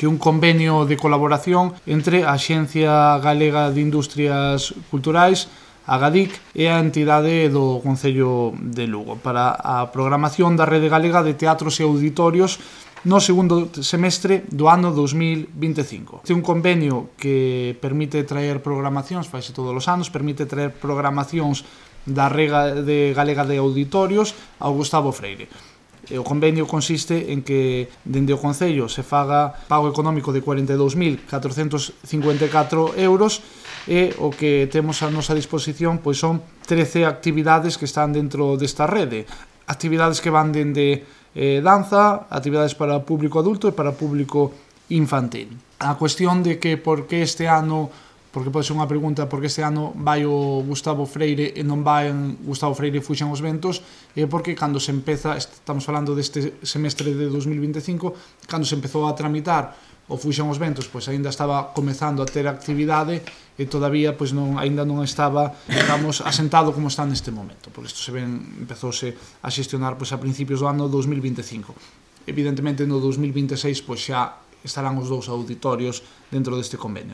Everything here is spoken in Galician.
que é un convenio de colaboración entre a Axencia Galega de Industrias Culturais, a GADIC, e a entidade do Concello de Lugo para a programación da Rede Galega de Teatros e Auditorios no segundo semestre do ano 2025. É un convenio que permite traer programacións, faise todos os anos, permite traer programacións da Rede Galega de Auditorios ao Gustavo Freire. O convenio consiste en que dende o Concello se faga pago económico de 42.454 euros e o que temos a nosa disposición pois son 13 actividades que están dentro desta rede. Actividades que van dende danza, actividades para público adulto e para público infantil. A cuestión de que por que este ano, porque pode ser unha pregunta, por que este ano vai o Gustavo Freire e non vai Gustavo Freire e Fuxan os Ventos, é porque cando se empeza, estamos falando deste semestre de 2025, cando se empezou a tramitar o Fuxan os Ventos, pois aínda estaba comezando a ter actividade e todavía pois aínda non estaba, digamos, asentado como está neste momento, porque isto empezouse a xestionar pois a principios do ano 2025. Evidentemente no 2026 pois xa estarán os dous auditorios dentro deste convenio.